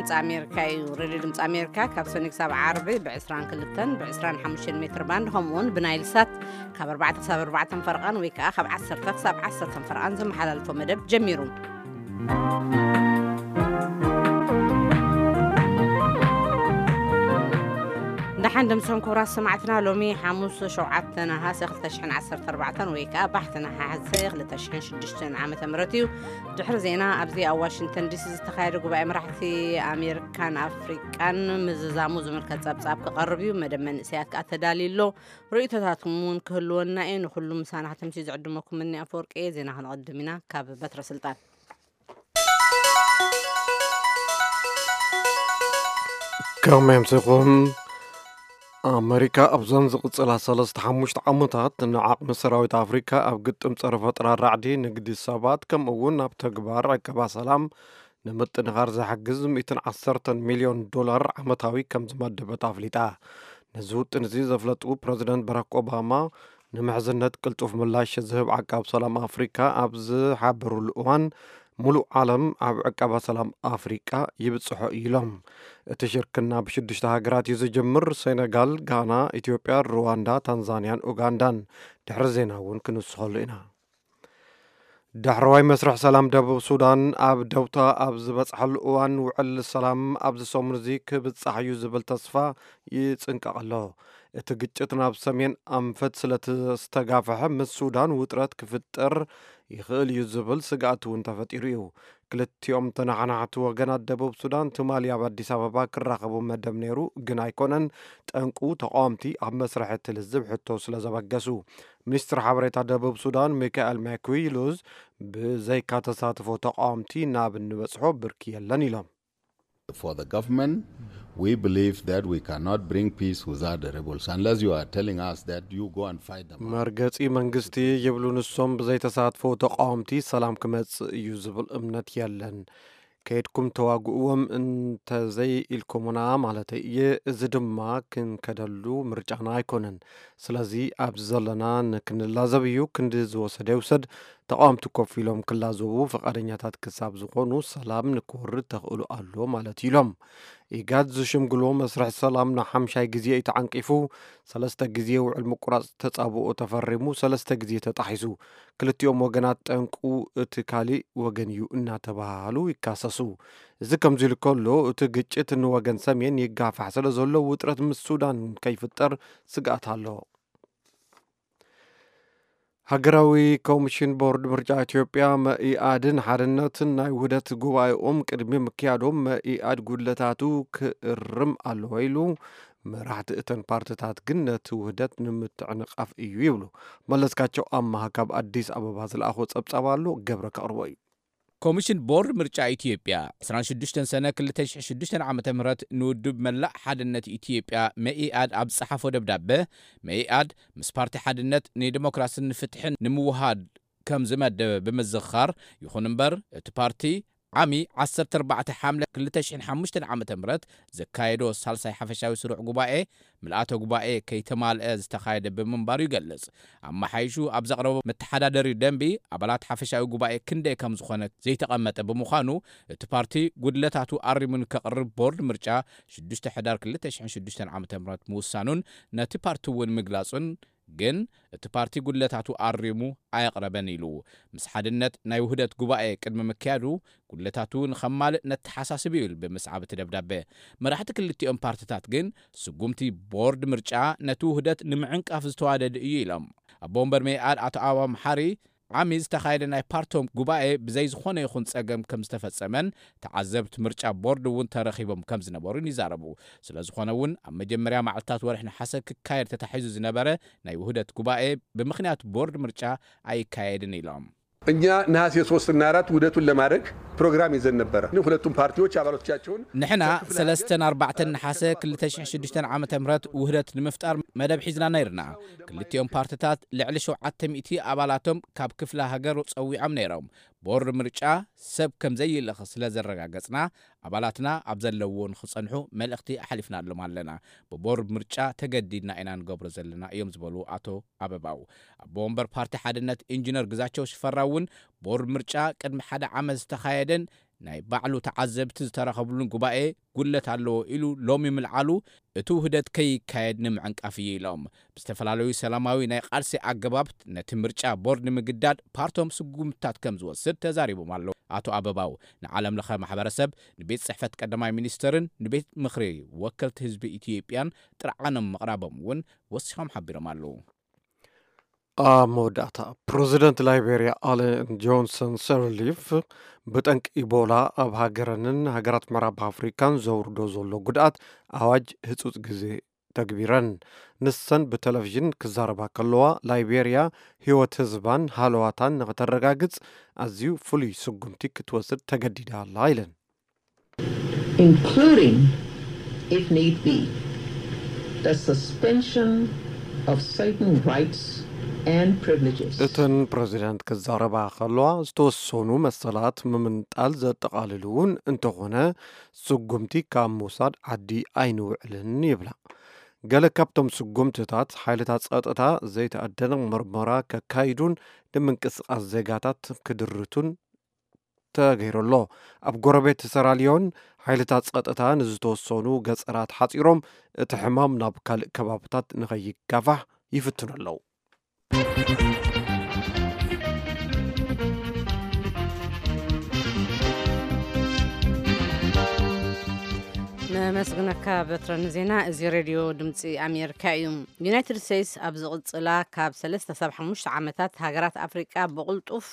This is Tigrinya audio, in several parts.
ድምፂ ኣሜሪካ እዩ። ሬድዮ ድምፂ ኣሜሪካ ካብ ሰኒ ክሳብ ዓርቢ ብ22ን ብ25 ሜትር ባንድ፣ ከምኡ እውን ብናይል ሳት ካብ ኣርባዕተ ክሳብ ኣርባዕተ ፈርቓን ወይ ከዓ ካብ ዓሰርተ ክሳብ ዓሰርተ ፈርቓን ዝመሓላልፎ መደብ ጀሚሩ። ደሓን ደምሶም ክቡራት ሰማዕትና፣ ሎሚ ሓሙስ ሸውዓተ ነሃሰ ክልተ ሽሕን ዓሰርተ ኣርባዕተን ወይ ከዓ ባሕቲ ነሓሰ ክልተ ሽሕን ሽዱሽተን ዓመተ ምህረት እዩ። ድሕሪ ዜና፣ ኣብዚ ኣብ ዋሽንግተን ዲሲ ዝተኻየደ ጉባኤ መራሕቲ ኣሜሪካን ኣፍሪቃን ምዝዛሙ ዝምልከት ጸብጻብ ክቐርብ እዩ። መደብ መንእሰያት ከዓ ተዳልዩ ኣሎ። ርእይቶታትኩም እውን ክህልወና እዩ። ንኩሉ ምሳና ከተምሲ ዝዕድመኩም እኒ ኣፈወርቂ እየ። ዜና ክንቐድም ኢና። ካብ በትረ ስልጣን። ከመይ ኣምሲኹም? ኣመሪካ ኣብዘን ዝቕጽላ ሰለስተ ሓሙሽተ ዓመታት ንዓቕሚ ሰራዊት ኣፍሪካ ኣብ ግጥም ጸረ ፈጠራ ራዕዲ፣ ንግዲ ሰባት፣ ከምኡ እውን ኣብ ተግባር ዕቀባ ሰላም ንምጥንኻር ዝሕግዝ ሚእትን ዓሰርተን ሚልዮን ዶላር ዓመታዊ ከም ዝመደበት ኣፍሊጣ። ነዚ ውጥን እዚ ዘፍለጡ ፕረዚደንት ባራክ ኦባማ፣ ንምሕዝነት ቅልጡፍ ምላሽ ዝህብ ዓቃብ ሰላም ኣፍሪካ ኣብ ዝሓበሩሉ እዋን፣ ሙሉእ ዓለም ኣብ ዕቀባ ሰላም ኣፍሪቃ ይብጽሖ እዩ ኢሎም። እቲ ሽርክና ብሽዱሽተ ሃገራት እዩ ዝጅምር። ሴነጋል፣ ጋና፣ ኢትዮጵያ፣ ሩዋንዳ፣ ታንዛንያን ኡጋንዳን። ድሕሪ ዜና እውን ክንስኸሉ ኢና። ዳሕረዋይ መስርሕ ሰላም ደቡብ ሱዳን ኣብ ደውታ ኣብ ዝበጽሓሉ እዋን፣ ውዕል ሰላም ኣብዚ ሰሙን እዚ ክብጻሕ እዩ ዝብል ተስፋ ይጽንቀቕ ኣሎ። እቲ ግጭት ናብ ሰሜን ኣንፈት ስለ ዝተጋፍሐ፣ ምስ ሱዳን ውጥረት ክፍጠር ይኽእል እዩ ዝብል ስግኣት እውን ተፈጢሩ እዩ። ክልቲኦም ተነሓናሕቲ ወገናት፣ ደቡብ ሱዳን ትማሊ ኣብ ኣዲስ ኣበባ ክራኸቡ መደብ ነይሩ፣ ግን ኣይኮነን። ጠንቁ፣ ተቃወምቲ ኣብ መስርሕ እቲ ልዝብ ሕቶ ስለ ዘበገሱ። ሚኒስትር ሓበሬታ ደቡብ ሱዳን ሚካኤል ማኩይ ሉዝ፣ ብዘይካ ተሳትፎ ተቃወምቲ ናብ እንበጽሖ ብርኪ የለን ኢሎም። For the government, we believe that we cannot bring peace without the rebels, unless you are telling us that you go and fight them out. መርገጺ መንግስቲ ይብሉ ንሶም፣ ብዘይተሳትፎ ተቃወምቲ ሰላም ክመጽእ እዩ ዝብል እምነት የለን። ከይድኩም ተዋግእዎም እንተዘይ ኢልኩምና ማለተይ እየ። እዚ ድማ ክንከደሉ ምርጫና ኣይኮነን። ስለዚ ኣብዚ ዘለና ንክንላዘብ እዩ። ክንዲ ዝወሰደ ይውሰድ። ተቃወምቲ ኮፍ ኢሎም ክላዘቡ ፍቃደኛታት ክሳብ ዝኾኑ፣ ሰላም ንክወርድ ተኽእሎ ኣሎ ማለት እዩ ኢሎም። ኢጋድ ዝሽምግሎ መስርሕ ሰላም ንሓምሻይ ግዜ እዩ ተዓንቂፉ። ሰለስተ ግዜ ውዕል ምቁራጽ ተጻብኦ ተፈሪሙ፣ ሰለስተ ግዜ ተጣሒሱ። ክልቲኦም ወገናት፣ ጠንቁ እቲ ካሊእ ወገን እዩ እናተባሃሉ ይካሰሱ። እዚ ከምዚ ኢሉ ከሎ፣ እቲ ግጭት ንወገን ሰሜን ይጋፋሕ ስለ ዘሎ፣ ውጥረት ምስ ሱዳን ከይፍጠር ስግኣት ኣሎ። ሃገራዊ ኮሚሽን ቦርድ ምርጫ ኢትዮጵያ፣ መኢኣድን ሓርነትን ናይ ውህደት ጉባኤኦም ቅድሚ ምክያዶም፣ መኢኣድ ጉድለታቱ ክእርም ኣለዎ ኢሉ። መራሕቲ እተን ፓርትታት ግን ነቲ ውህደት ንምትዕንቃፍ እዩ ይብሉ። መለስካቸው ኣማሃ ካብ ኣዲስ ኣበባ ዝለኣኾ ጸብጻብ ኣሎ፣ ገብረ ከቕርቦ እዩ። ኮሚሽን ቦርድ ምርጫ ኢትዮጵያ፣ ዕስራን ሽዱሽተን ሰነ ክልተ ሽሕን ሽዱሽተን ዓመተ ምህረት ንውድብ መላእ ሓድነት ኢትዮጵያ፣ መኢኣድ፣ ኣብ ዝጸሓፎ ደብዳበ፣ መኢኣድ ምስ ፓርቲ ሓድነት ንዲሞክራስን ንፍትሕን ንምውሃድ ከም ዝመደበ ብምዝኽኻር፣ ይኹን እምበር እቲ ፓርቲ ዓሚ ዓሰርተ ኣርባዕተ ሓምለ ክልተ ሽሕን ሓሙሽተን ዓመተ ምህረት ዘካየዶ ሳልሳይ ሓፈሻዊ ስሩዕ ጉባኤ፣ ምልኣተ ጉባኤ ከይተማልአ ዝተኻየደ ብምንባሩ ይገልጽ። ኣመሓይሹ ኣብ ዘቕረቦ መተሓዳደሪ ደንቢ፣ ኣባላት ሓፈሻዊ ጉባኤ ክንደይ ከም ዝኾነ ዘይተቐመጠ ብምዃኑ፣ እቲ ፓርቲ ጉድለታቱ ኣሪሙ ንከቕርብ ቦርድ ምርጫ ሽዱሽተ ሕዳር ክልተ ሽሕን ሽዱሽተን ዓመተ ምህረት ምውሳኑን ነቲ ፓርቲ እውን ምግላጹን፣ ግን እቲ ፓርቲ ጉድለታቱ ኣሪሙ ኣየቕረበን ኢሉ። ምስ ሓድነት ናይ ውህደት ጉባኤ ቅድሚ ምክያዱ፣ ጉድለታቱ ንኸማልእ ነተሓሳስብ እዩ ኢሉ ብምስዓብ እቲ ደብዳበ። መራሕቲ ክልቲኦም ፓርትታት ግን፣ ስጉምቲ ቦርድ ምርጫ ነቲ ውህደት ንምዕንቃፍ ዝተዋደደ እዩ ኢሎም። ኣቦ ወንበር መኢኣድ ኣቶ ኣበባ መሓሪ፣ ዓሚ ዝተኻየደ ናይ ፓርቶም ጉባኤ ብዘይ ዝኾነ ይኹን ጸገም ከም ዝተፈጸመን፣ ተዓዘብቲ ምርጫ ቦርድ እውን ተረኺቦም ከም ዝነበሩን ይዛረቡ። ስለ ዝኾነ እውን፣ ኣብ መጀመርያ መዓልታት ወርሒ ነሓሰ ክካየድ ተታሒዙ ዝነበረ ናይ ውህደት ጉባኤ፣ ብምኽንያት ቦርድ ምርጫ ኣይካየድን ኢሎም። እኛ ነሐሴ ሶስት እና አራት ውህደቱን ለማድረግ ፕሮግራም ይዘን ነበረ። ግን ሁለቱም ፓርቲዎች አባሎቻቸውን ንሕና ከክፍለ ሃገር ሰለስተን ኣርባዕተን ነሓሰ ክልተ ሽሕን ሽዱሽተን ዓመተ ምህረት ውህደት ንምፍጣር መደብ ሒዝና ነይርና። ክልቲኦም ፓርትታት ልዕሊ ሸውዓተ ሚእቲ ኣባላቶም ካብ ክፍለ ሃገር ጸዊዖም ነይሮም። ቦርድ ምርጫ ሰብ ከም ዘይልእኽ ስለ ዘረጋገጽና፣ ኣባላትና ኣብ ዘለውዎ ንኽጸንሑ መልእኽቲ ኣሕሊፍናሎም ኣለና። ብቦርድ ምርጫ ተገዲድና ኢና ንገብሮ ዘለና እዮም ዝበሉ ኣቶ ኣበባው፣ ኣቦ ወንበር ፓርቲ ሓድነት ኢንጂነር ግዛቸው ሽፈራው እውን፣ ቦርድ ምርጫ ቅድሚ ሓደ ዓመት ዝተኻየደን ናይ ባዕሉ ተዓዘብቲ ዝተረኸብሉን ጉባኤ ጉድለት ኣለዎ ኢሉ ሎሚ ምልዓሉ፣ እቲ ውህደት ከይካየድ ንምዕንቃፍ እዩ ኢሎም። ብዝተፈላለዩ ሰላማዊ ናይ ቃልሲ ኣገባብ ነቲ ምርጫ ቦርድ ንምግዳድ ፓርቶም ስጉምትታት ከም ዝወስድ ተዛሪቦም ኣለዉ። ኣቶ ኣበባው ንዓለም ለኸ ማሕበረሰብ፣ ንቤት ጽሕፈት ቀዳማይ ሚኒስትርን ንቤት ምኽሪ ወከልቲ ህዝቢ ኢትዮጵያን ጥርዓኖም ምቕራቦም እውን ወሲኾም ሓቢሮም ኣለዉ። ኣብ መወዳእታ፣ ፕረዚደንት ላይቤርያ ኣለን ጆንሰን ሰርሊፍ ብጠንቂ ኢቦላ ኣብ ሃገረንን ሃገራት ምዕራብ ኣፍሪካን ዘውርዶ ዘሎ ጉድኣት ኣዋጅ ህፁፅ ግዜ ተግቢረን። ንሰን ብቴሌቪዥን ክዛረባ ከለዋ፣ ላይቤርያ ህይወት ህዝባን ሃለዋታን ንክተረጋግፅ ኣዝዩ ፍሉይ ስጉምቲ ክትወስድ ተገዲዳ ኣላ ኢለን። including, if need be, the suspension of certain rights and privileges. እተን ፕረዚደንት ክዛረባ ከለዋ፣ ዝተወሰኑ መሰላት ምምንጣል ዘጠቓልል እውን እንተኾነ፣ ስጉምቲ ካብ ምውሳድ ዓዲ ኣይንውዕልን ይብላ። ገለ ካብቶም ስጉምትታት፣ ሓይልታት ጸጥታ ዘይተኣደነ ምርመራ ከካይዱን ንምንቅስቓስ ዜጋታት ክድርቱን ተገይሩ ኣሎ። ኣብ ጎረቤት ሰራልዮን፣ ሓይልታት ጸጥታ ንዝተወሰኑ ገጸራት ሓጺሮም፣ እቲ ሕማም ናብ ካልእ ከባብታት ንኸይጋፋሕ ይፍትኑ ኣለዉ። ነመስግነካ በትረ ንዜና። እዚ ሬድዮ ድምፂ ኣሜሪካ እዩ። ዩናይትድ ስቴትስ ኣብ ዝቕፅላ ካብ ሰለስተ ሳብ ሓሙሽተ ዓመታት ሃገራት ኣፍሪቃ ብቕልጡፍ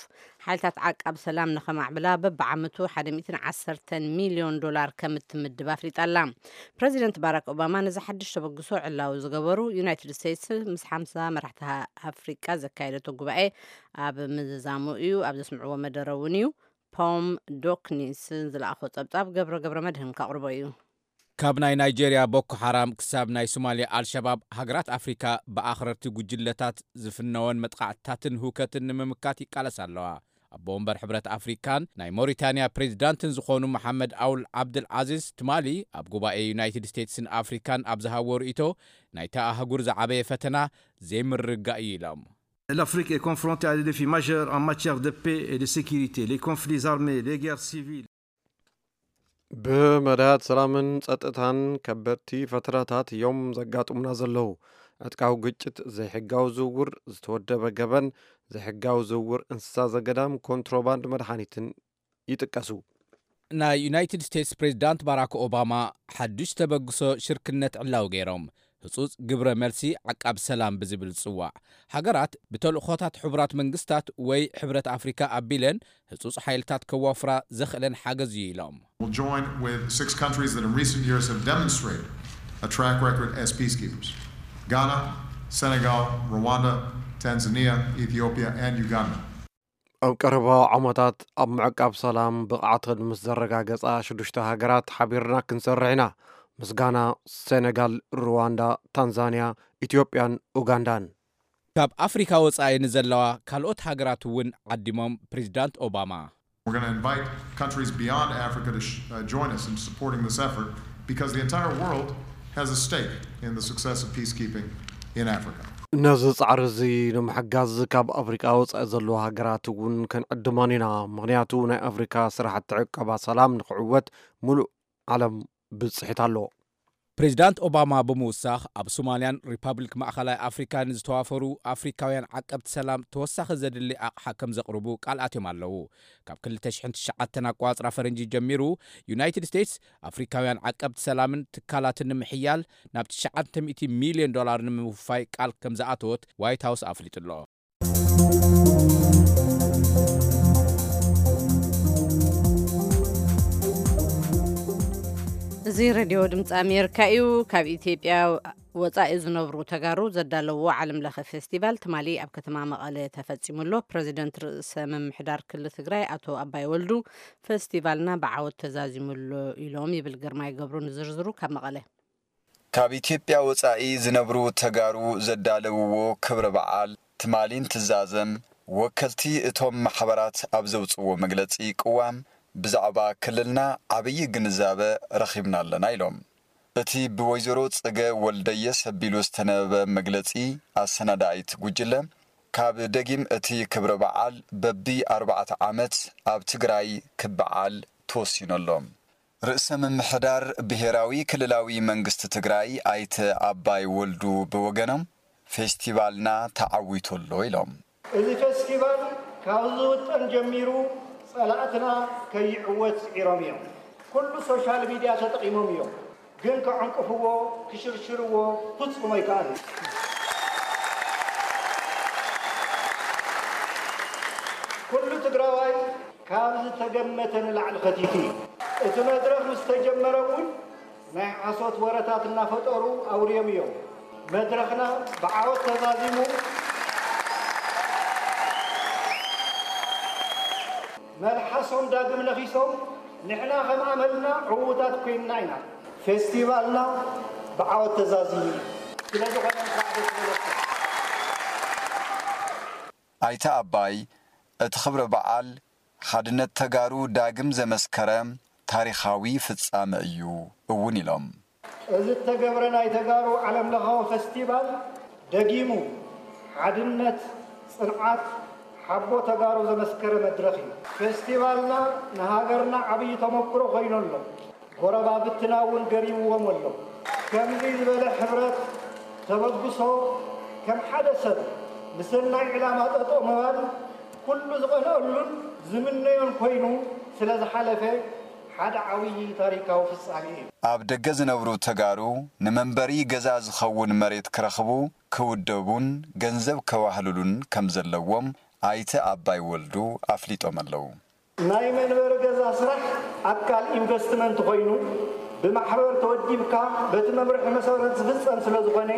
ሓይልታት ዓቃብ ሰላም ንኸማዕብላ በብዓመቱ ሓደ ሚእትን ዓሰርተን ሚልዮን ዶላር ከም እትምድብ ኣፍሊጣ ኣላ። ፕረዚደንት ባራክ ኦባማ ነዚ ሓድሽ ተበግሶ ዕላዊ ዝገበሩ፣ ዩናይትድ ስቴትስ ምስ ሓምሳ መራሕቲ ኣፍሪቃ ዘካየደቶ ጉባኤ ኣብ ምዝዛሙ እዩ። ኣብ ዘስምዕዎ መደረ እውን እዩ። ፖም ዶክኒስ ዝለኣኾ ጸብጻብ ገብረ ገብረ መድህን ከቕርቦ እዩ። ካብ ናይ ናይጄርያ ቦኮ ሓራም ክሳብ ናይ ሶማልያ ኣልሸባብ፣ ሃገራት ኣፍሪካ ብኣኽረርቲ ጉጅለታት ዝፍነወን መጥቃዕትታትን ህውከትን ንምምካት ይቃለሳ ኣለዋ። ኣቦ ወንበር ሕብረት ኣፍሪካን ናይ ሞሪታንያ ፕሬዚዳንትን ዝኾኑ መሓመድ ኣውል ዓብድል ዓዚዝ ትማሊ ኣብ ጉባኤ ዩናይትድ ስቴትስን ኣፍሪካን ኣብ ዝሃብዎ ርእይቶ፣ ናይታ ኣህጉር ዝዓበየ ፈተና ዘይምርግጋእ እዩ ኢሎም። L'Afrique est confrontée à des défis majeurs en matière de paix et de sécurité, les conflits armés, les guerres civiles. ብመዳያት ሰላምን ጸጥታን ከበድቲ ፈተናታት እዮም ዘጋጥሙና ዘለዉ። ዕጥቃዊ ግጭት፣ ዘይሕጋዊ ዝውውር፣ ዝተወደበ ገበን፣ ዘይሕጋዊ ዝውውር እንስሳ ዘገዳም፣ ኮንትሮባንድ መድሓኒትን ይጥቀሱ። ናይ ዩናይትድ ስቴትስ ፕሬዚዳንት ባራክ ኦባማ ሓዱሽ ተበግሶ ሽርክነት ዕላዊ ገይሮም፣ ህጹጽ ግብረ መልሲ ዓቃብ ሰላም ብዝብል ዝጽዋዕ። ሃገራት ብተልእኾታት ሕቡራት መንግስታት ወይ ሕብረት ኣፍሪካ ኣቢለን ህጹጽ ሓይልታት ከዋፍራ ዘኽእለን ሓገዝ እዩ ኢሎም። Will join with six countries that in recent years have demonstrated a track record as peacekeepers: Ghana, Senegal, Rwanda, Tanzania, Ethiopia, and Uganda. ኣብ ቀረባ ዓመታት ኣብ ምዕቃብ ሰላም ብቕዓተን ምስ ዘረጋገጻ ሽዱሽተ ሃገራት ሓቢርና ክንሰርሕ ኢና። ምስ ጋና፣ ሴነጋል፣ ሩዋንዳ፣ ታንዛንያ፣ ኢትዮጵያን ኡጋንዳን። ካብ ኣፍሪካ ወጻኢ ንዘለዋ ካልኦት ሃገራት እውን ዓዲሞም ፕሬዚዳንት ኦባማ። We're going to invite countries beyond Africa to sh- uh, join us in supporting this effort because the entire world has a stake in the success of peacekeeping in Africa. ነዚ ጻዕሪ እዚ ንምሕጋዝ ካብ ኣፍሪቃ ወጻኢ ዘለዋ ሃገራት እውን ክንዕድመን ኢና። ምኽንያቱ ናይ ኣፍሪካ ስራሕቲ ዕቀባ ሰላም ንክዕወት ሙሉእ ዓለም ብጽሒት ኣለዎ። ፕሬዚዳንት ኦባማ ብምውሳኽ፣ ኣብ ሶማልያን ሪፓብሊክ ማእኸላይ ኣፍሪካን ዝተዋፈሩ ኣፍሪካውያን ዓቀብቲ ሰላም ተወሳኺ ዘድሊ ኣቕሓ ከም ዘቕርቡ ቃል ኣትዮም ኣለዉ። ካብ ክልተ ሽሕን ትሽዓተን ኣቋጽራ ፈረንጂ ጀሚሩ፣ ዩናይትድ ስቴትስ ኣፍሪካውያን ዓቀብቲ ሰላምን ትካላትን ንምሕያል ናብ ትሽዓተ ሚእቲ ሚልዮን ዶላር ንምውፋይ ቃል ከም ዝኣተወት ዋይት ሃውስ ኣፍሊጡ ኣሎ። እዚ ሬድዮ ድምፂ ኣሜሪካ እዩ። ካብ ኢትዮጵያ ወፃኢ ዝነብሩ ተጋሩ ዘዳለውዎ ዓለም ለኸ ፌስቲቫል ትማሊ ኣብ ከተማ መቐለ ተፈፂሙ ኣሎ። ፕረዚደንት ርእሰ ምምሕዳር ክልል ትግራይ ኣቶ ኣባይ ወልዱ፣ ፌስቲቫልና ብዓወት ተዛዚሙ ኣሎ ኢሎም ይብል ግርማይ ገብሩ። ንዝርዝሩ ካብ መቐለ። ካብ ኢትዮጵያ ወጻኢ ዝነብሩ ተጋሩ ዘዳለውዎ ክብረ በዓል ትማሊ እንትዛዘም፣ ወከልቲ እቶም ማሕበራት ኣብ ዘውጽዎ መግለጺ ቅዋም ብዛዕባ ክልልና ዓብዪ ግንዛበ ረኺብና ኣለና ኢሎም። እቲ ብወይዘሮ ጽገ ወልደየስ ኣቢሉ ዝተነበበ መግለጺ ኣሰናዳኢት ጉጅለ፣ ካብ ደጊም እቲ ክብረ በዓል በቢ ኣርባዕተ ዓመት ኣብ ትግራይ ክበዓል ተወሲኑ ኣሎ። ርእሰ ምምሕዳር ብሄራዊ ክልላዊ መንግስቲ ትግራይ ኣይተ ኣባይ ወልዱ ብወገኖም፣ ፌስቲቫልና ተዓዊቱ ኣሎ ኢሎም። እዚ ፌስቲቫል ካብ ዝውጠን ጀሚሩ ጸላእትና ከይዕወት ጽዒሮም እዮም። ኩሉ ሶሻል ሚድያ ተጠቒሞም እዮም፣ ግን ከዕንቅፍዎ፣ ክሽርሽርዎ ፍጹም ኣይከኣሉ። ኩሉ ትግራዋይ ካብ ዝተገመተ ንላዕሊ ኸቲቱ እዩ። እቲ መድረኽ ምስ ተጀመረ እውን ናይ ሓሶት ወረታት እናፈጠሩ ኣውርዮም እዮም። መድረኽና ብዓወት ተዛዚሙ፣ መልሓሶም ዳግም ነኺሶም፣ ንሕና ከም ኣመልና ዕዉታት ኮይንና ኢና። ፌስቲቫልና ብዓወት ተዛዚሙ እዩ። ስለ ዝኾነ እንኳዕ ደስ በለኩም። ኣይተ ኣባይ፣ እቲ ክብረ በዓል ሓድነት ተጋሩ ዳግም ዘመስከረ ታሪኻዊ ፍጻመ እዩ እውን ኢሎም። እዚ እተገብረ ናይ ተጋሩ ዓለምለኻዊ ፈስቲቫል ደጊሙ ሓድነት፣ ጽንዓት፣ ሓቦ ተጋሩ ዘመስከረ መድረኽ እዩ። ፈስቲቫልና ንሃገርና ዓብዪ ተመክሮ ኮይኑ ኣሎ። ጎረባብትና እውን ገሪምዎም ኣሎ። ከምዚ ዝበለ ሕብረት፣ ተበግሶ፣ ከም ሓደ ሰብ ንሰናይ ዕላማ ጠጠው ምባል ኩሉ ዝቐንኣሉን ዝምነዮን ኮይኑ ስለ ዝሓለፈ ሓደ ዓብዪ ታሪካዊ ፍጻሜ እዩ። ኣብ ደገ ዝነብሩ ተጋሩ ንመንበሪ ገዛ ዝኸውን መሬት ክረኽቡ፣ ክውደቡን ገንዘብ ከዋህልሉን ከም ዘለዎም ኣይተ ኣባይ ወልዱ ኣፍሊጦም ኣለዉ። ናይ መንበሪ ገዛ ስራሕ ኣካል ኢንቨስትመንት ኮይኑ ብማሕበር ተወዲብካ በቲ መምርሒ መሰረት ዝፍፀም ስለ ዝኾነ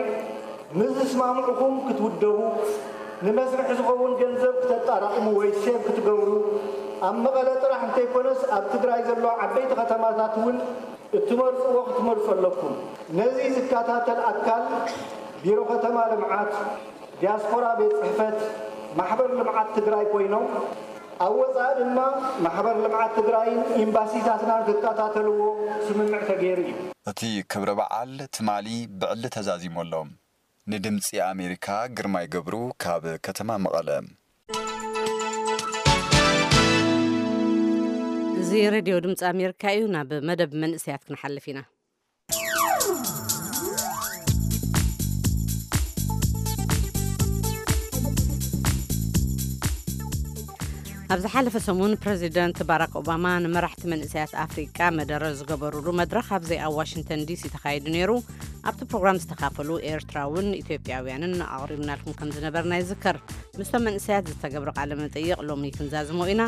ምስ ዝስማምዕኹም ክትውደቡ ንመስርሒ ዝኸውን ገንዘብ ክተጣራቕሙ ወይ ሴቭ ክትገብሩ ኣብ መቐለ ጥራሕ እንተይኮነስ ኣብ ትግራይ ዘለዋ ዓበይቲ ከተማታት እውን እትመርፅዎ ክትመርፁ ኣለኩም። ነዚ ዝከታተል ኣካል ቢሮ ከተማ ልምዓት፣ ዲያስፖራ ቤት ፅሕፈት፣ ማሕበር ልምዓት ትግራይ ኮይኖም ኣብ ወፃኢ ድማ ማሕበር ልምዓት ትግራይን ኤምባሲታትናን ክከታተልዎ ስምምዕ ተገይሩ እዩ። እቲ ክብረ በዓል ትማሊ ብዕሊ ተዛዚሙ ኣሎ። ንድምፂ ኣሜሪካ ግርማይ ገብሩ ካብ ከተማ መቐለ። እዚ ሬድዮ ድምፂ ኣሜሪካ እዩ። ናብ መደብ መንእሰያት ክንሓልፍ ኢና። ኣብ ዝሓለፈ ሰሙን ፕረዚደንት ባራክ ኦባማ ንመራሕቲ መንእሰያት ኣፍሪቃ መደረ ዝገበሩሉ መድረኽ ኣብዚ ኣብ ዋሽንግተን ዲሲ ተኻይዱ ነይሩ። ኣብቲ ፕሮግራም ዝተኻፈሉ ኤርትራውን ኢትዮጵያውያንን ኣቕሪብናልኩም ከም ዝነበርና ይዝከር። ምስቶም መንእሰያት ዝተገብረ ቃለ መጠይቕ ሎሚ ክንዛዝሞ ኢና።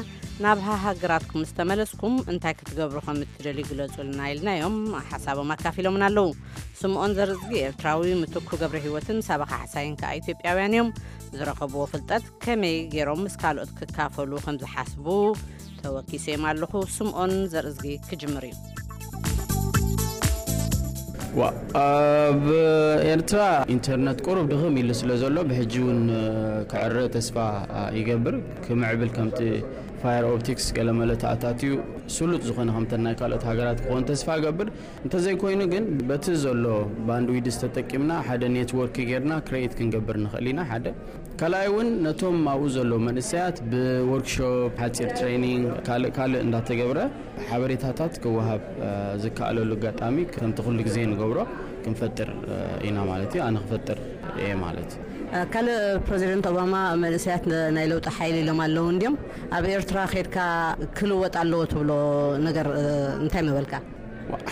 ናብ ሃሃገራትኩም ምስ ተመለስኩም እንታይ ክትገብሩ ከም እትደልዩ ግለጹልና ኢልናዮም። ሓሳቦም ኣካፊሎምና ኣለዉ። ስምኦን ዘርእዝጊ ኤርትራዊ፣ ምትኩ ገብረ ህይወትን ሳባ ካሕሳይን ከኣ ኢትዮጵያውያን እዮም። ዝረኸብዎ ፍልጠት ከመይ ገይሮም ምስ ካልኦት ክካፈሉ ከም ዝሓስቡ ተወኪሰዮም ኣለኹ። ስምኦን ዘርእዝጊ ክጅምር እዩ። ዋ፣ ኣብ ኤርትራ ኢንተርነት ቁሩብ ድኽም ኢሉ ስለ ዘሎ ብሕጂ እውን ክዕረ ተስፋ ይገብር። ክምዕብል ከምቲ ፋየር ኦፕቲክስ ገለመለ ተኣታትዩ ስሉጥ ዝኾነ ከምተን ናይ ካልኦት ሃገራት ክኾን ተስፋ እገብር። እንተዘይኮይኑ ግን በቲ ዘሎ ባንድዊድስ ተጠቂምና ሓደ ኔትወርክ ጌርና ክሬት ክንገብር ንኽእል ኢና። ሓደ ካልኣይ እውን ነቶም ኣብኡ ዘለዉ መንእሰያት ብወርክሾፕ፣ ሓጺር ትሬኒንግ፣ ካልእ ካልእ እንዳተገብረ ሓበሬታታት ክወሃብ ዝከኣለሉ ኣጋጣሚ ከምቲ ኩሉ ግዜ ንገብሮ ክንፈጥር ኢና ማለት እዩ። ኣነ ክፈጥር እየ ማለት እዩ። ካልእ ፕረዚደንት ኦባማ መንእሰያት ናይ ለውጢ ሓይሊ ኢሎም ኣለዉ እንድዮም። ኣብ ኤርትራ ከድካ ክልወጥ ኣለዎ ትብሎ ነገር እንታይ ምበልካ?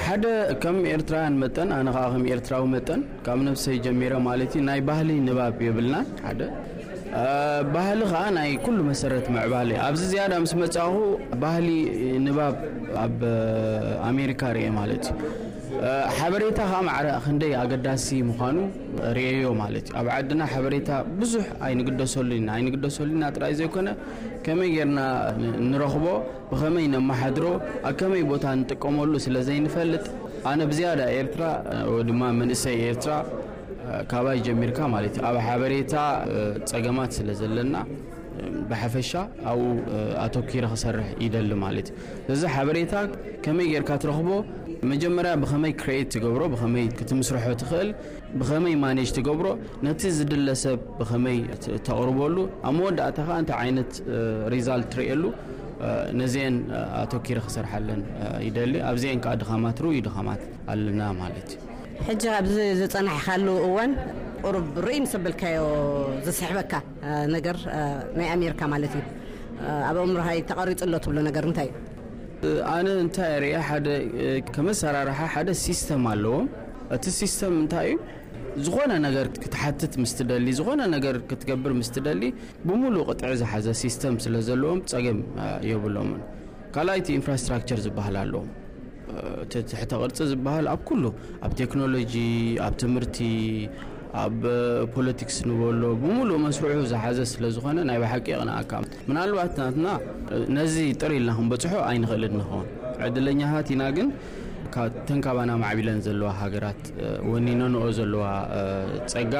ሓደ ከም ኤርትራውያን መጠን ኣነ ከዓ ከም ኤርትራዊ መጠን ካብ ነብሰይ ጀሚረ ማለት እዩ ናይ ባህሊ ንባብ የብልናን ሓደ ባህሊ ከዓ ናይ ኩሉ መሰረት ምዕባለ ኣብዚ ዝያዳ ምስ መፃኹ ባህሊ ንባብ ኣብ ኣሜሪካ ርኤ ማለት እዩ ሓበሬታ ከዓ ማዕረ ክንደይ ኣገዳሲ ምዃኑ ርኤዮ ማለት እዩ ኣብ ዓድና ሓበሬታ ብዙሕ ኣይንግደሰሉ ኢና ኣይንግደሰሉ ኢና ጥራይ ዘይኮነ ከመይ ጌርና ንረኽቦ ብኸመይ ነመሓድሮ ኣብ ከመይ ቦታ ንጥቀመሉ ስለ ዘይንፈልጥ ኣነ ብዝያዳ ኤርትራ ወይ ድማ መንእሰይ ኤርትራ ካባይ ጀሚርካ ማለት እዩ ኣብ ሓበሬታ ፀገማት ስለ ዘለና ብሓፈሻ ኣብኡ ኣተኪረ ክሰርሕ ይደሊ ማለት እዩ እዚ ሓበሬታ ከመይ ጌርካ ትረኽቦ መጀመርያ ብኸመይ ክሬት ትገብሮ ብኸመይ ክትምስርሖ ትኽእል ብኸመይ ማኔጅ ትገብሮ ነቲ ዝድለ ሰብ ብኸመይ ተቕርበሉ ኣብ መወዳእታ ከዓ እንታይ ዓይነት ሪዛልት ትርእየሉ ነዚአን ኣተኪረ ክሰርሓለን ይደሊ። ኣብዚአን ከዓ ድኻማት ርኡይ ድኻማት ኣለና ማለት እዩ። ሕጂ ኣብዚ ዝፀናሕካሉ እዋን ቁሩብ ርእይ ምስ ኣበልካዮ ዝስሕበካ ነገር ናይ ኣሜሪካ ማለት እዩ፣ ኣብ ኣእምሮኻ ተቐሪፁ ኣሎ ትብሎ ነገር እንታይ እዩ? ኣነ እንታይ ርእየ፣ ሓደ ከመሰራርሓ ሓደ ሲስተም ኣለዎም። እቲ ሲስተም እንታይ እዩ? ዝኾነ ነገር ክትሓትት ምስ ትደሊ፣ ዝኾነ ነገር ክትገብር ምስ ትደሊ፣ ብምሉእ ቅጥዒ ዝሓዘ ሲስተም ስለ ዘለዎም ፀገም የብሎምን። ካልኣይቲ ኢንፍራስትራክቸር ዝበሃል ኣለዎም። እቲ ትሕተ ቅርፂ ዝበሃል ኣብ ኩሉ፣ ኣብ ቴክኖሎጂ፣ ኣብ ትምህርቲ፣ ኣብ ፖለቲክስ ንበሎ ብምሉእ መስርሑ ዝሓዘ ስለ ዝኾነ ናይ ብሓቂ የቕንኣካ። ምናልባት ናትና ነዚ ጥር ኢልና ክንበፅሖ ኣይንኽእልን ንኸውን። ዕድለኛታት ኢና፣ ግን ተን ካባና ማዕቢለን ዘለዋ ሃገራት ወኒነንኦ ዘለዋ ፀጋ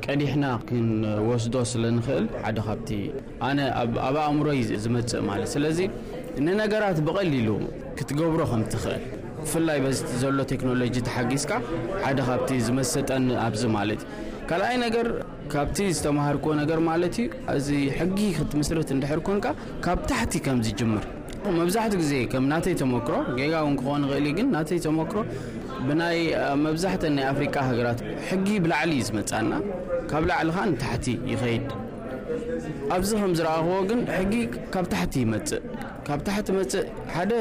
ቀዲሕና ክንወስዶ ስለ ንኽእል ሓደ ካብቲ ኣነ ኣብ ኣእምሮይ ዝመፅእ ማለት። ስለዚ ንነገራት ብቐሊሉ ክትገብሮ ከም ትኽእል፣ ብፍላይ በዚ ዘሎ ቴክኖሎጂ ተሓጊዝካ ሓደ ካብቲ ዝመሰጠኒ ኣብዚ ማለት እዩ። ካልኣይ ነገር ካብቲ ዝተምሃርክዎ ነገር ማለት እዩ፣ እዚ ሕጊ ክትምስርት እንድሕር ኮንካ ካብ ታሕቲ ከም ዝጅምር። መብዛሕትኡ ግዜ ከም ናተይ ተመክሮ፣ ጌጋ እውን ክኾን ይኽእል እዩ፣ ግን ናተይ ተመክሮ ብናይ መብዛሕተን ናይ ኣፍሪቃ ሃገራት ሕጊ ብላዕሊ እዩ ዝመጻና፣ ካብ ላዕሊ ኸኣ ንታሕቲ ይኸይድ። ኣብዚ ከም ዝረኣኽዎ ግን ሕጊ ካብ ታሕቲ ይመጽእ። ካብ ታሕቲ መጽእ ሓደ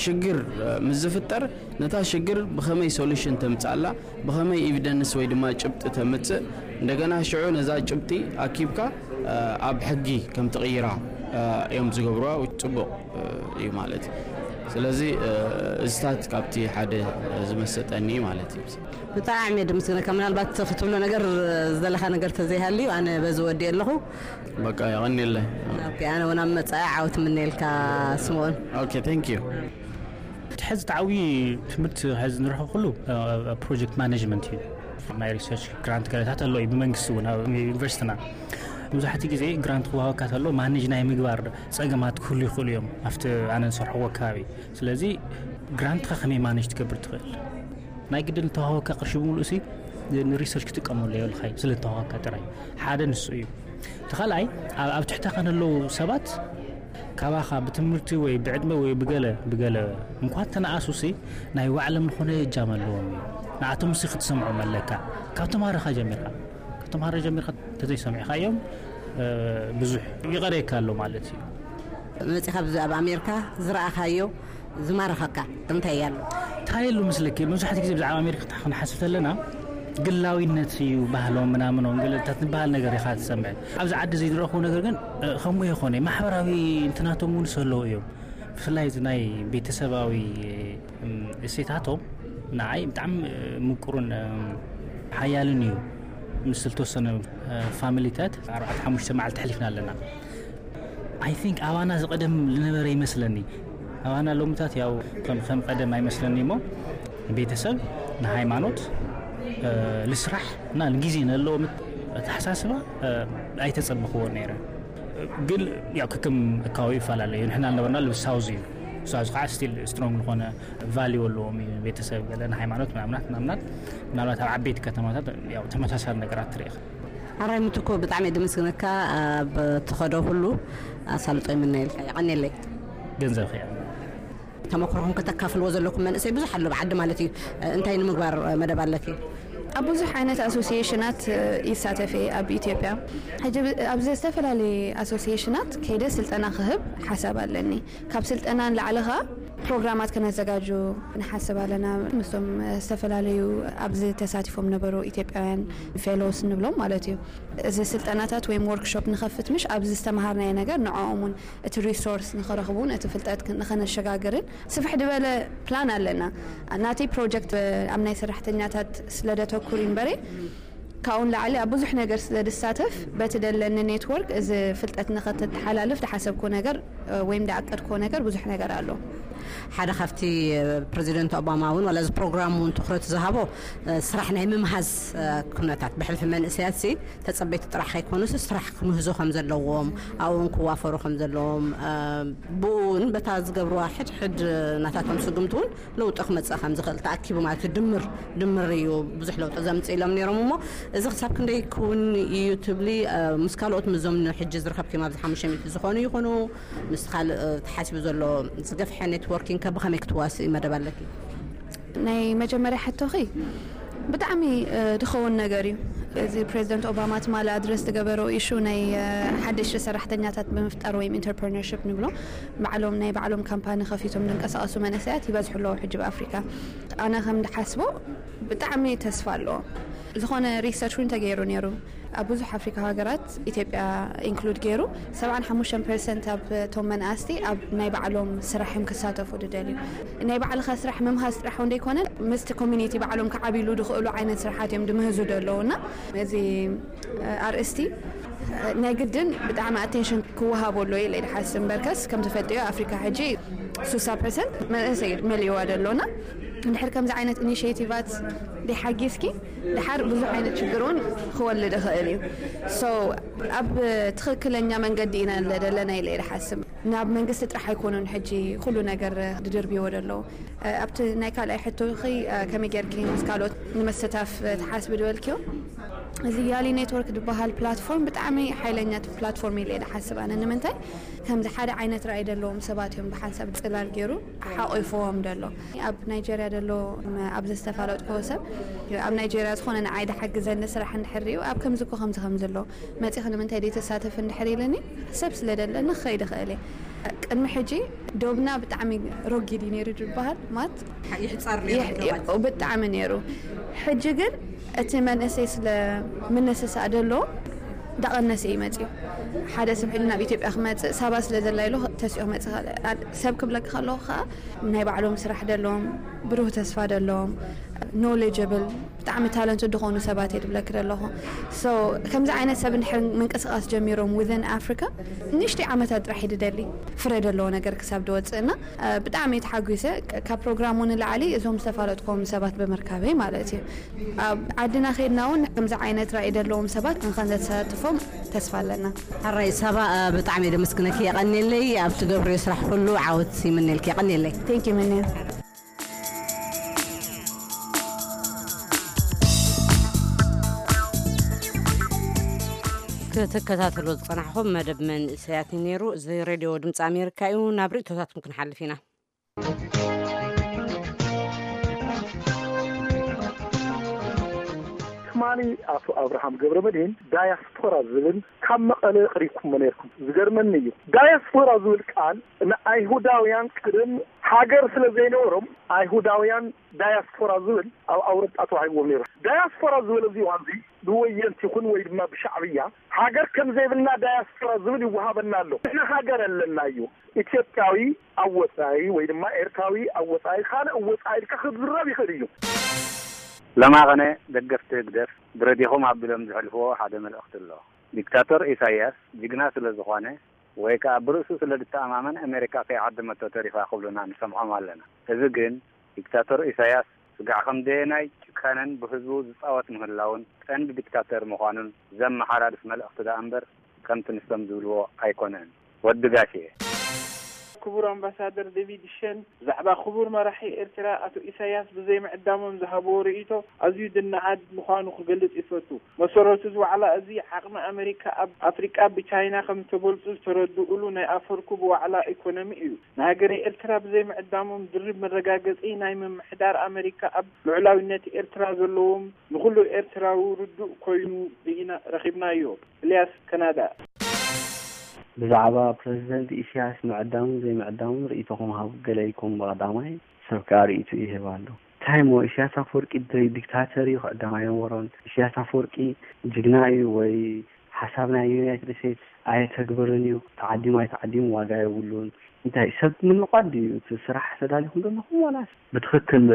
ሽግር ምስ ዝፍጠር ነታ ሽግር ብኸመይ ሶሉሽን ተምጻላ፣ ብኸመይ ኤቪደንስ ወይ ድማ ጭብጢ ተምጽእ፣ እንደገና ሽዑ ነዛ ጭብጢ ኣኪብካ ኣብ ሕጊ ከም ትቕይራ እዮም ዝገብርዋ። ጽቡቕ እዩ ማለት እዩ። ስለዚ እዚታት ካብቲ ሓደ ዝመሰጠኒ ማለት እዩ። ብጣዕሚ ድምስግነካ። ምናልባት ክትብሎ ነገር ዘለካ ነገር ተዘይሃልዩ ኣነ በዚ ወዲ ኣለኹ። በቃ የቐኒለ። ኣነ እውን ኣብ መፃኢ ዓወት ምነልካ ስምኦን። ኦኬ፣ thank you። ሕዚ ተዓዊ ትምህርቲ ሕዚ ንረኽብ ኩሉ ፕሮጀክት ማኔጅመንት እዩ። ናይ ሪሰርች ግራንት ገለታት ኣሎ እዩ ብመንግስቲ እውን ኣብ ዩኒቨርሲቲና። መብዛሕትኡ ግዜ ግራንት ክወሃበካ ተሎ ማኔጅ ናይ ምግባር ፀገማት ክህሉ ይኽእሉ እዮም ኣብቲ ኣነ ዝሰርሕዎ ከባቢ። ስለዚ ግራንትካ ከመይ ማኔጅ ትገብር ትኽእል? ናይ ግድን ዝተዋሃበካ ቅርሺ ብምሉእ ሲ ንሪሰርች ክጥቀመሉ የብልካ እዩ፣ ስለ ዝተዋሃበካ ጥራይ። ሓደ ንሱ እዩ። እቲ ካልኣይ ኣብ ትሕተኻ ንለዉ ሰባት ካባኻ ብትምህርቲ ወይ ብዕድመ ወይ ብገለ ብገለ እንኳን ተነኣሱ ሲ ናይ ባዕሎም ዝኾነ እጃም ኣለዎም እዩ። ንኣቶም ሲ ክትሰምዖም ኣለካ። ካብ ተምሃረኻ ጀሚርካ ካብ ተምሃረ ጀሚርካ ተዘይሰሚዕካዮም ብዙሕ ይቐረየካ ኣሎ ማለት እዩ። መፂኻ ኣብ ኣሜሪካ ዝረኣኻዮ ዝማረኸካ እንታይ ኣሎ? እንታይ ኣሎ ምስለኪ? መብዛሕትኡ ግዜ ብዛዕባ ኣሜሪካ ክንሓስብ ተለና ግላዊነት እዩ ባህሎም ምናምኖም ገለታት ዝበሃል ነገር ኢኻ ትሰምዕ። ኣብዚ ዓዲ ዘይንረኽቦ ነገር ግን ከምኡ ይኾነ ማሕበራዊ እንትናቶም እውን ዝህለዉ እዮም። ብፍላይ ናይ ቤተሰባዊ እሴታቶም ንዓይ ብጣዕሚ ምቁርን ሓያልን እዩ። ምስ ዝተወሰነ ፋሚሊታት ኣርባዕተ ሓሙሽተ መዓልቲ ሕሊፍና ኣለና። I think ኣባና ዝቐደም ዝነበረ ይመስለኒ። ኣባና ሎምታት ያው ከም ከም ቀደም ኣይመስለኒ እሞ ቤተሰብ ንሃይማኖት ልስራሕ እና ንግዜ ነለዎ ኣተሓሳስባ ኣይተጸበኽዎ ነይረ። ግን ያው ከከም ኣካባቢ ይፈላለ እዩ። ንሕና ዝነበርና ልብ ሳውዝ እዩ። ሳውዝ ከዓ ስቲል ስትሮንግ ዝኾነ ቫሊዩ ኣለዎም እዩ። ቤተሰብ ገለ ንሃይማኖት ምናምናት ምናምናት ምናልባት ኣብ ዓበይቲ ከተማታት ያው ተመሳሳሊ ነገራት ትርኢ። ኣራይ ምትኮ ብጣዕሚ ድምስግነካ ኣብ ትኸዶ ሁሉ ኣሳልጦ ይምነየልካ። የቐኔለይ። ገንዘብ ኸያ ተመክሮኹም ከተካፍልዎ ዘለኩም መንእሰይ ብዙሕ ኣሎ ብዓዲ ማለት እዩ። እንታይ ንምግባር መደብ ኣለኪ? ኣብ ብዙሕ ዓይነት ኣሶሲሽናት ይሳተፍ እየ ኣብ ኢትዮጵያ። ሕጂ ኣብዚ ዝተፈላለየ ኣሶሲሽናት ከይደ ስልጠና ክህብ ሓሳብ ኣለኒ። ካብ ስልጠና ንላዕሊ ኸዓ ፕሮግራማት ከነዘጋጁ ንሓስብ ኣለና። ምስቶም ዝተፈላለዩ ኣብዚ ተሳቲፎም ነበሩ ኢትዮጵያውያን ፌሎስ ንብሎም ማለት እዩ። እዚ ስልጠናታት ወይም ወርክሾፕ ንኸፍት ምሽ ኣብዚ ዝተምሃርናዮ ነገር ንዕኦም እውን እቲ ሪሶርስ ንኸረኽቡ እውን እቲ ፍልጠት ንኸነሸጋግርን ስፍሕ ዝበለ ፕላን ኣለና። ናተይ ፕሮጀክት ኣብ ናይ ሰራሕተኛታት ስለደተኩር እምበሬ ካብኡ ንላዕሊ ኣብ ብዙሕ ነገር ስለ ዝሳተፍ በቲ ደለኒ ኔትወርክ እዚ ፍልጠት ንኸተተሓላልፍ ዝሓሰብኩ ነገር ወይም ዝዓቀድክዎ ነገር ብዙሕ ነገር ኣሎ። ሓደ ካብቲ ፕሬዚደንት ኦባማ እውን ዋላ እዚ ፕሮግራም እውን ትኩረት ዝሃቦ ስራሕ ናይ ምምሃዝ ኩነታት ብሕልፊ መንእሰያት ሲ ተፀበይቲ ጥራሕ ከይኮኑስ ስራሕ ክምህዞ ከም ዘለዎም ኣብኡን ክዋፈሩ ከም ዘለዎም ብኡ እውን በታ ዝገብርዋ ሕድሕድ ናታቶም ስጉምቲ እውን ለውጢ ክመፅእ ከም ዝኽእል ተኣኪቡ ማለት እዩ። ድምር ድምር እዩ ብዙሕ ለውጢ ዘምፅእ ኢሎም ነይሮም። እሞ እዚ ክሳብ ክንደይ ክውን እዩ ትብሊ? ምስ ካልኦት ምዞም ንሕጂ ዝረኸብክዮም ኣብዚ ሓሙሽተ ሚእቲ ዝኾኑ ይኹኑ ምስ ካልእ ተሓሲቡ ዘሎ ዝገፍሐ ኔትወርኪንግ ከ ብኸመይ ክትዋስእ መደብ ኣለኪ? ናይ መጀመርያ ሕቶኺ ብጣዕሚ ድኸውን ነገር እዩ። እዚ ፕሬዚደንት ኦባማ ትማሊ ኣድረስ ዝገበሮ ኢሹ ናይ ሓደሽቲ ሰራሕተኛታት ብምፍጣር ወይም ኢንተርፕርነርሽፕ ንብሎ፣ ባዕሎም ናይ ባዕሎም ካምፓኒ ከፊቶም ዝንቀሳቐሱ መንእሰያት ይበዝሑ ኣለዉ ሕጂ ብኣፍሪካ። ኣነ ከም ድሓስቦ ብጣዕሚ ተስፋ ኣለዎ። ዝኾነ ሪሰርች እውን ተገይሩ ነይሩ ኣብ ብዙሕ ኣፍሪካ ሃገራት፣ ኢትዮጵያ ኢንክሉድ ገይሩ፣ ሰብዓን ሓሙሽተን ፐርሰንት ኣብ እቶም መናእስቲ ኣብ ናይ ባዕሎም ስራሕ እዮም ክሳተፉ ድደልዩ። ናይ ባዕልኻ ስራሕ ምምሃዝ ጥራሕ እንደይኮነ ምስቲ ኮሚኒቲ ባዕሎም ክዓብሉ ድኽእሉ ዓይነት ስራሓት እዮም ድምህዙ ደለዉ እና እዚ ኣርእስቲ ናይ ግድን ብጣዕሚ ኣቴንሽን ክወሃቦ ኣሎ ኢለ ድሓስብ እምበርከስ ከም ትፈልጥዮ ኣፍሪካ ሕጂ ሱሳ ፐርሰንት መንእሰይ መሊእዋ ደሎና። እንድሕር ከምዚ ዓይነት ኢኒሽቲቫት ደይሓጊዝኪ ድሓር ብዙሕ ዓይነት ሽግር እውን ክወልድ ይኽእል እዩ። So ኣብ ትኽክለኛ መንገዲ ኢና ዘለና ኢለ ይሓስብ። ናብ መንግስቲ ጥራሕ ኣይኮኑን ሕጂ ኩሉ ነገር ድድርብዎ ደለዉ። ኣብቲ ናይ ካልኣይ ሕቶኺ ከመይ ጌርኪ ምስ ካልኦት ንምስታፍ ትሓስቢ ድበልክዮ? እዚ ያሊ ኔትወርክ ዝበሃል ፕላትፎርም ብጣዕሚ ሓይለኛ ፕላትፎርም ኢለ ድሓስብ ኣነ። ንምንታይ ከምዚ ሓደ ዓይነት ራእይ ደለዎም ሰባት እዮም ብሓንሳብ ፅላል ገይሩ ሓቂፍዎም ደሎ። ኣብ ናይጀርያ ደሎ ኣብዚ ዝተፋለጥኩዎ ሰብ ኣብ ናይጀርያ ዝኾነ ንዓይ ድሓግዘኒ ስራሕ እንድሕር ሪኡ ኣብ ከምዚ እኮ ከምዚ ከምዚ ኣሎ መፂኺ ንምንታይ ደይተሳተፍ እንድሕር ኢለኒ ሰብ ስለ ደለኒ ክኸይድ ይኽእል እየ። ቅድሚ ሕጂ ዶብና ብጣዕሚ ሮጊድ እዩ ነይሩ ዝበሃል ማት ይሕፀር ብጣዕሚ ነይሩ። ሕጂ ግን እቲ መንእሰይ ስለ ምንስሳእ ደሎ ዳቐነሰ እዩ መፅዩ። ሓደ ሰብ ሕጂ ናብ ኢትዮጵያ ክመፅእ ሳባ ስለ ዘላ ኢሉ ተሲኦ ክመፅእ ይኽእል። ሰብ ክብለካ ከለኹ ከዓ ናይ ባዕሎም ስራሕ ደለዎም፣ ብሩህ ተስፋ ደለዎም፣ ኖሌጀብል፣ ብጣዕሚ ታለንት ዝኾኑ ሰባት እየ ድብለክ ደለኹ። So ከምዚ ዓይነት ሰብ እንድሕር ምንቅስቃስ ጀሚሮም within ኣፍሪካ ንእሽተይ ዓመታት ጥራሕ እዩ ድደሊ ፍረ ደለዎ ነገር ክሳብ ድወፅእና ብጣዕሚ ተሓጒሰ። ካብ ፕሮግራሙ ንላዕሊ እዞም ዝተፋለጥኮም ሰባት ብምርካበይ ማለት እዩ። ኣብ ዓድና ከይድና እውን ከምዚ ዓይነት ራእይ ደለዎም ሰባት ንኸንተሳትፎም ተስፋ ኣለና። ሕራይ ሳባ፣ ብጣዕሚ እየ ደመስግነኪ። የቐንየለይ። ኣብ ትገብርዮ ስራሕ ኩሉ ዓወት ይምነልኪ። የቐንየለይ። Thank you ምንያ። ክትከታተሎ ዝጸናሕኹም መደብ መንእሰያት እዩ ነይሩ። እዚ ሬድዮ ድምፂ ኣሜሪካ እዩ። ናብ ርእቶታትኩም ክንሓልፍ ኢና። ትማሊ ኣቶ ኣብርሃም ገብረ መድህን ዳያስፖራ ዝብል ካብ መቐለ ኣቕሪብኩሞ ነይርኩም። ዝገርመኒ እዩ፣ ዳያስፖራ ዝብል ቃል ንኣይሁዳውያን ቅድም ሃገር ስለ ዘይነበሮም ኣይሁዳውያን ዳያስፖራ ዝብል ኣብ ኣውሮጳ ተዋሂብዎም ነይሩ። ዳያስፖራ ዝበለ እዚ እዋን እዚ ብወየንቲ ይኹን ወይ ድማ ብሻዕብያ ሃገር ከም ዘይብልና ዳያስፖራ ዝብል ይወሃበና ኣሎ። ንሕና ሃገር ኣለና እዩ። ኢትዮጵያዊ ኣብ ወፃኢ ወይ ድማ ኤርትራዊ ኣብ ወፃኢ ካልእ ወፃኢ ኢልካ ክዝረብ ይኽእል እዩ። ለማኸነ ደገፍቲ ህግደፍ ብረዲኹም ኣቢሎም ዝሕልፍዎ ሓደ መልእኽቲ ኣሎ። ዲክታቶር ኢሳያስ ጅግና ስለ ዝኾነ ወይ ከኣ ብርእሱ ስለ ድተኣማመን ኣሜሪካ ከይዓደመቶ ተሪፋ ክብሉና ንሰምዖም ኣለና። እዚ ግን ዲክታቶር ኢሳያስ ስጋዕ ከም ደየናይ ጭካነን ብህዝቡ ዝጻወት ምህላውን ቀንዲ ዲክታተር ምዃኑን ዘመሓላልፍ መልእኽቲ ደኣ እምበር ከምቲ ንሶም ዝብልዎ ኣይኮነን። ወዲ ጋሽ እየ። ክቡር ኣምባሳደር ዴቪድ ሸን ብዛዕባ ክቡር መራሒ ኤርትራ ኣቶ ኢሳያስ ብዘይ ምዕዳሞም ዝሃብዎ ርእይቶ ኣዝዩ ዝነኣድ ምዃኑ ክገልጽ ይፈቱ። መሰረቱ እዚ ዋዕላ እዚ ዓቕሚ ኣመሪካ ኣብ ኣፍሪቃ ብቻይና ከም ዝተበልጹ ዝተረድኡሉ ናይ ኣፈርኩ ብዋዕላ ኢኮኖሚ እዩ። ንሃገረ ኤርትራ ብዘይ ምዕዳሞም ድርብ መረጋገጺ ናይ ምምሕዳር ኣመሪካ ኣብ ልዑላዊነት ኤርትራ ዘለዎም ንኹሉ ኤርትራዊ ርዱእ ኮይኑ ርኢና ረኺብናዮ። ኢልያስ ካናዳ። ብዛዕባ ፕረዚደንት ኢሳያስ ምዕዳሙን ዘይምዕዳሙን ርእይቶኹም ሃቡ። ገለ ኢልኩም ብቐዳማይ ሰብ ከኣ ርእይትኡ ይህብ ኣሎ። እንታይ እሞ ኢሳያስ ኣፈወርቂ ዲክታተር እዩ፣ ክዕደም ኣይነበሮን። ኢሳያስ ኣፈወርቂ ጅግና እዩ ወይ ሓሳብ ናይ ዩናይትድ ስቴትስ ኣየተግብርን እዩ። ተዓዲሙ ኣይተዓዲሙ ዋጋ የብሉን። እንታይ ሰብ ምንቋድ ድዩ እቲ ስራሕ ተዳሊኹም ዘለኹም ዋላስ ብትኽክል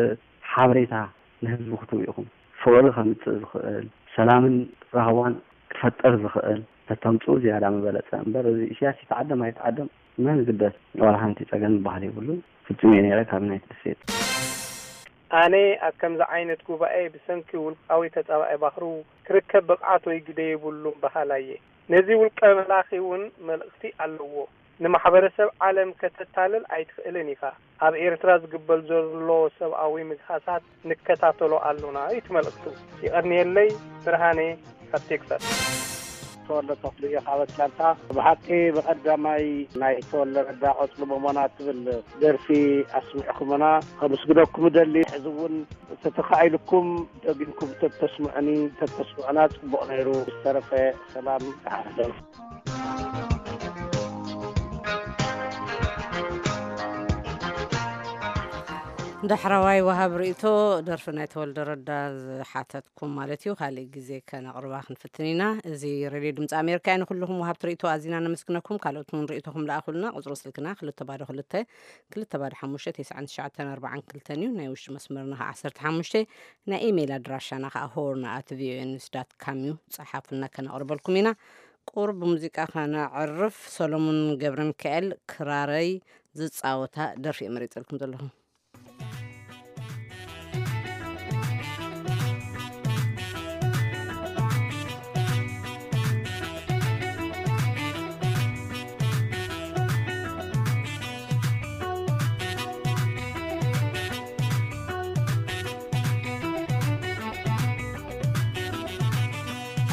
ሓበሬታ ንህዝቢ ክትህቡ ኢኹም። ፍቕሪ ከምጽእ ዝኽእል፣ ሰላምን ራህዋን ክፈጥር ዝኽእል ተተምጽኡ ዝያዳ ምበለጸ። እምበር እዚ ኢሳያስ ይተዓደም ኣይተዓደም መን ይግደስ፣ ዋላ ሓንቲ ጸገም ዝበሃል የብሉን። ፍጹም እየ ነይረ ካብ ዩናይትድ ስቴትስ። ኣነ ኣብ ከምዚ ዓይነት ጉባኤ ብሰንኪ ውልቃዊ ተጻባኢ ባኽሩ ክርከብ ብቕዓት ወይ ግደ የብሉን በሃላይ እየ። ነዚ ውልቀ መላኺ እውን መልእኽቲ ኣለዎ። ንማሕበረሰብ ዓለም ከተታልል ኣይትኽእልን ኢኻ። ኣብ ኤርትራ ዝግበር ዘሎ ሰብኣዊ ምግሃሳት ንከታተሎ ኣሎና እዩ እቲ መልእኽቱ። ይቐንየለይ። ብርሃነ ካብ ቴክሳስ። ተወልደ ተኽሉ እየ ካብ ኣትላንታ። ብሓቂ ብቐዳማይ ናይ ተወልደ ረዳ ቆጽሊ ቦሞና ትብል ደርፊ ኣስሚዕኩምና፣ ከመስግነኩም እደሊ። ሕዚ እውን ተተኻኢልኩም ደጊምኩም ተተስምዑኒ፣ ተተስምዑና ጽቡቕ ነይሩ። ዝተረፈ ሰላም፣ ደሓን ሕደሩ። ዳሕረዋይ ወሃብ ርእይቶ፣ ደርፊ ናይ ተወልደ ረዳ ዝሓተትኩም ማለት እዩ። ካልእ ግዜ ከነቕርባ ክንፍትን ኢና። እዚ ሬድዮ ድምፂ ኣሜሪካ እዩ። ንኩልኹም ወሃብቲ ርእይቶ ኣዚና ነመስግነኩም። ካልኦት እውን ርእይቶኹም ለኣኹልና። ቁፅሪ ስልክና ክልተ ባዶ ክልተ፣ ክልተ ባዶ ሓሙሽተ፣ ተስዓን ትሽዓተን ኣርባዓን ክልተን እዩ። ናይ ውሽጢ መስመርና ከዓ ዓሰርተ ሓሙሽተ። ናይ ኢሜይል ኣድራሻና ከዓ ሆርን ኣት ቪኦኤ ኒውስ ዳት ካም እዩ። ፀሓፉልና፣ ከነቕርበልኩም ኢና። ቁሩብ ብሙዚቃ ከነዕርፍ። ሰሎሙን ገብረ ሚካኤል ክራረይ ዝፃወታ ደርፊ እየ መሪፀልኩም ዘለኹ።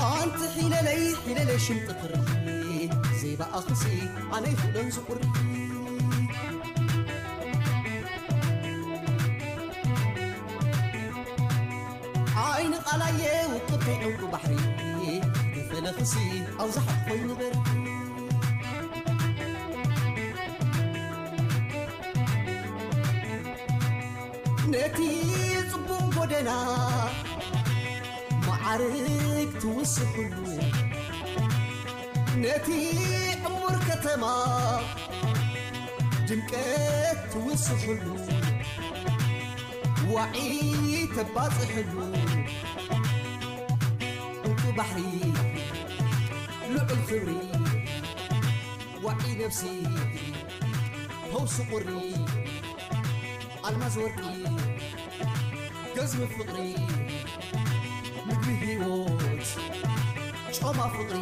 ኣንቲ ሒለለይ ሒለለይ ሽምጥኽሪ ዘይበኣኽሲ ኣነ ይኽእሎን ዝቑሪ። ዓይኒ ቃላየ ውቅብተይ ዕንቁ ባሕሪ ይፈለኽሲ ኣብዛሕ ኮይኑ በሪ። ነቲ ጽቡቕ ጎደና መዓርግ ትውስኽሉ፣ ነቲ ዕሙር ከተማ ድምቀት ትውስኽሉ፣ ዋዒ ተባጽሕሉ፣ ዕንቁ ባሕሪ ልዑል ክብሪ፣ ዋዒ ነፍሲ ፈውሲ ቁሪ፣ ኣልማዝ ወርቂ ገዝሚ ፍቕሪ፣ ምግቢ ህይወት ጮማ ፍቕሪ።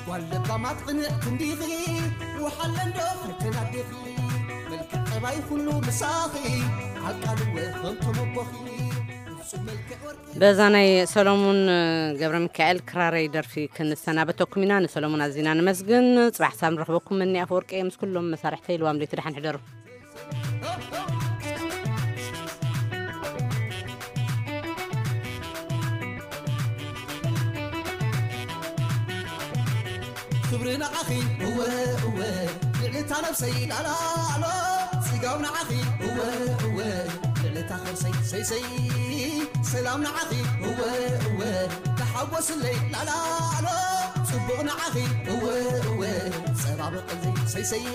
ጓል ለባማት ቅንዕቲ እንዲኺ፣ ውሓለ እንዶ ፈተና ኣዴኺ፣ መልክዕ ጠባይ ኩሉ ምሳኺ፣ ዓቃልወ ከም ተመቦኺ፣ ፍጹም መልክዕ ወርቂ። በዛ ናይ ሰሎሙን ገብረ ሚካኤል ክራረይ ደርፊ ክንሰናበተኩም ኢና። ንሰሎሙን ኣዚና ንመስግን። ጽባሕ ሳብ ንረኽበኩም። መኒ ኣፈወርቂ ምስ ኩሎም መሳርሕተይ ልዋም ለይቲ ደሓን ሕደሩ። ክብሪ ንዓኺ እወ እወ፣ ልዕልታ ነብሰይ ላላ ኣሎ፣ ጽጋብ ንዓኺ እወ እወ፣ ልዕልታ ከርሰይ ሰይሰይ፣ ሰላም ንዓኺ እወ እወ፣ ተሓጎስለይ ላላ ኣሎ፣ ጽቡቕ ንዓኺ እወ እወ፣ ጸባብቕለይ ሰይሰይ፣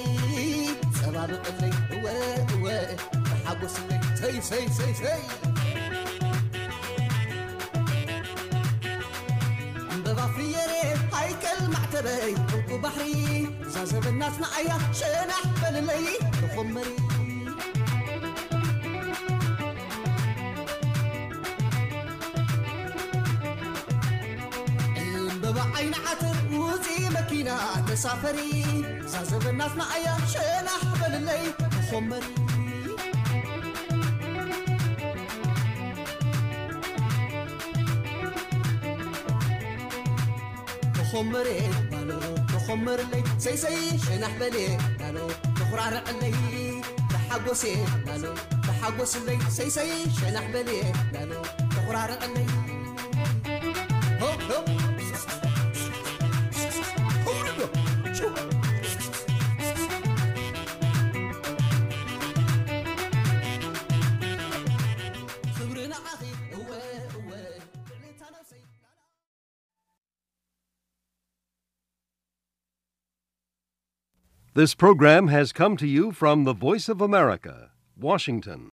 ጸባብቕለይ እወ እወ፣ ተሓጎስለይ ሰይሰይ ሰይሰይ። ዕምበባ ፍየሬ ሃይከል ማዕተበይ ዕንቁ ባሕሪ፣ እዛ ዘበን ናትና ኣያ ሸናሕ በልለይ ተኾመሪ። ዕምበባ ዓይኒ ዓተር ውፂ መኪና ተሳፈሪ፣ እዛ ዘበን ናትና ኣያ ሸናሕ በልለይ ተኾመሪ። ተኾመሬ ናሎ ተኾመርለይ ሰይሰይ ሸናሕ በሌ ናሎ ተኹራርዕለይ ተሓጎሴ ናሎ ተሓጎስለይ ሰይሰይ ሸናሕ በሌ ናሎ ተኹራርዕለይ። ሆ፣ ሆ። ሆ፣ ሆ። ክብሪ ንዓኺ እወ እወ። This program has come to you from the Voice of America, Washington.